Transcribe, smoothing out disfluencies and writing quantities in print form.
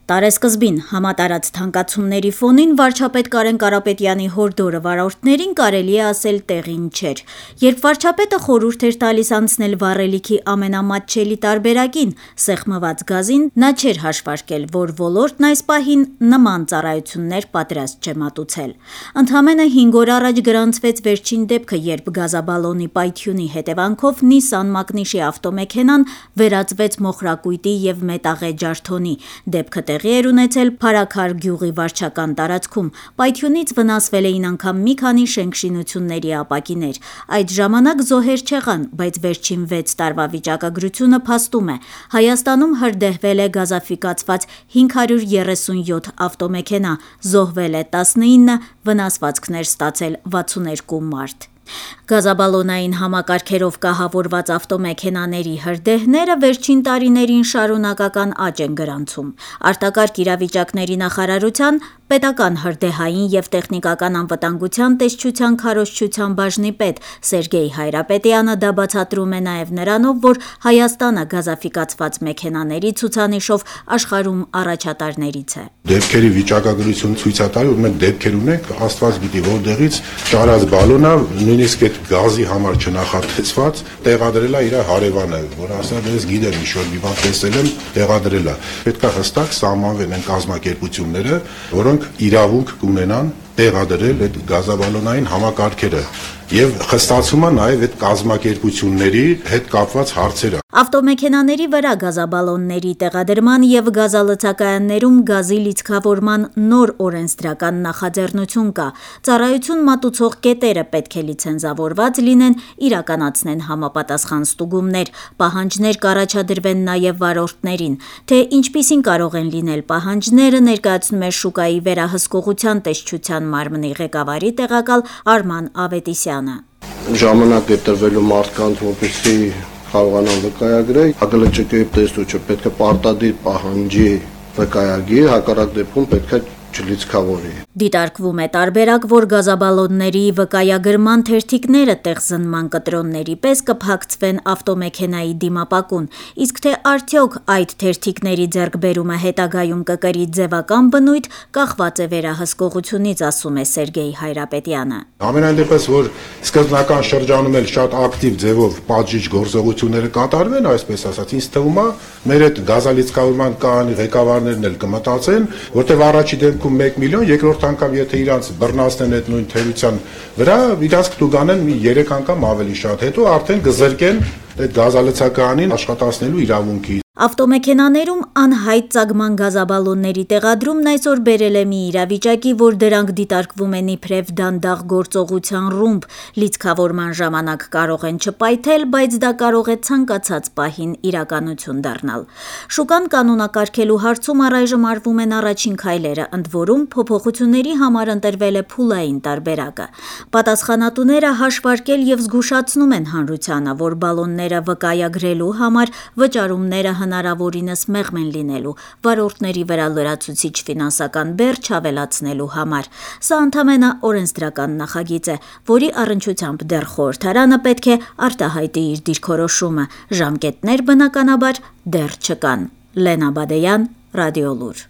Տարեսկզբին համատարած թանկացումների ֆոնին վարչապետ Կարեն Կարապետյանի հորդորը վարորդներին կարելի է ասել տեղին չէր։ Երբ վարչապետը խորհուրդ էր տալիս անցնել վառելիքի ամենամատչելի տարբերակին՝ սեղմված գազին, նա չէր հաշվարկել, որ ոլորտն այս պահին նման ծառայություններ պատրաստ չէ մատուցել։ Ընդամենը 5 օր առաջ գրանցվեց վերջին դեպքը, երբ գազաբալոնի պայթյունի հետևանքով Նիսան Մակնիշի ավտոմեքենան վերածվեց մոխրակույտի և մետաղե ջարդոնի։ Դեպքը տեղի էր ունեցել Փարաքար գյուղի վարչական տարածքում։ Պայթյունից վնասվել էին անգամ մի քանի շենքշինությունների ապակիներ։ Այդ ժամանակ զոհեր չեղան, բայց վերջին 6 տարվա վիճակագրությունը փաստում է. Հայաստանում հրդեհվել է գազաֆիկացված 537 ավտոմեքենա, զոհվել է 19, վնասվածքներ ստացել 62 մարդ։ Գազաբալոնային համակարգերով կահավորված ավտոմեքենաների հրդեհները վերջին տարիներին շարունակական աճ են գրանցում։ Արտակարգ իրավիճակների նախարարության պետական հրդեհային և տեխնիկական անվտանգության տեսչության քարոզչության բաժնի պետ Սերգեյ Հայրապետյանը դա բացատրում է նաև նրանով, որ Հայաստանը գազաֆիկացված մեքենաների ցուցանիշով աշխարհում առաջատարներից է։ Դեպքերի վիճակագրություն ցույց է տալիս, որ մենք դեպքեր ունենք, Աստված գիտի որտեղից ճարած բալոնը, նույնիսկ այդ գազի համար չնախատեսված տեղադրել է իր հարևանը, որ ասել է, ես գիտեմ, ինչ-որ մի բան տեսել եմ, տեղադրել է։ Պետք է հստակ սահմանվեն այն կազմակերպությունները, որոնք իրավունք կունենան տեղադրել այդ գազաբալոնային համակարգերը եւ խստացումը նաեւ այդ կազմակերպությունների հետ կապված հարցերը։ Ավտոմեքենաների վրա գազաբալոնների տեղադրման եւ գազալցակայաններում գազի լիցքավորման նոր օրենսդրական նախաձեռնություն կա։ Ծառայություն մատուցող կետերը պետք է լիցենզավորված լինեն, իրականացնեն համապատասխան ստուգումներ, պահանջներ կառաջադրվեն նաեւ վարորդներին։ Թե ինչպիսին կարող են լինել պահանջները, ներկայացնում է շուկայի վերահսկողության տեսչության մարմնի ղեկավարի տեղակալ Արման Ավետիսյանը։ Ժամանակ է տրվելու մարդկանց, որպեսզի կարողանան վկայագրել, ԱԳԼՃԿ-ի տեսուչը պետք է պարտադիր պահանջի վկայագիր, հակառակ դեպքում պետք է չլիցքավորի։ Դիտարկվում է տարբերակ, որ գազաբալոնների վկայագրման թերթիկները տեղզնման կտրոնների պես կփակցվեն ավտոմեքենայի դիմապակուն, իսկ թե արդյոք այդ թերթիկների ձեռքբերումը հետագայում կկրի ձևական բնույթ, կախված է վերահսկողությունից, ասում է Սերգեյ Հայրապետյանը։ Ամենայն դեպս, որ սկզբնական շրջանում էլ շատ ակտիվ ձևով պատժիչ գործողությունները կատարվեն, այսպես ասած, ինձ թվում է, մեր այդ գազալիցքավորման կայանի ղեկավարներն էլ կմտածեն, որտեղ առաջի դեպքում 1 միլիոն, երկրորդ անգամ եթե իրանց բռնացնեն այդ նույն թերության վրա, իրանց կտուգանեն մի 3 անգամ ավելի շատ, հետո արդեն կզրկեն այդ գազալցակայանին աշխատացնելու իրավունքից։ Ավտոմեքենաներում անհայտ ծագման գազաբալոնների տեղադրումն այսօր բերել է մի իրավիճակի, որ դրանք դիտարկվում են իբրև դանդաղ գործողության ռումբ, լիցքավորման ժամանակ կարող են չպայթել, բայց դա կարող է ցանկացած պահին իրականություն դառնալ։ Շուկան կանոնակարգելու հարցում առայժմ արվում են առաջին քայլերը, ընդ որում փոփոխությունների համար ընտրվել է փուլային տարբերակը։ Պատասխանատուները հաշվարկել և զգուշացնում են հանրությանը, որ բալոնները վկայագրելու համար վճարումները հնարավորինս մեղմ են լինելու, վարորդների վրա լրացուցիչ ֆինանսական բեռ չավելացնելու համար։ Սա ընդամենը օրենսդրական նախագիծ է, որի առնչությամբ դեռ խորհրդարանը պետք է արտահայտի իր դիրքորոշումը։ Ժամկետներ բնականաբար դեռ չկան։ Լենա Բադեյան, Ռադիոլուր։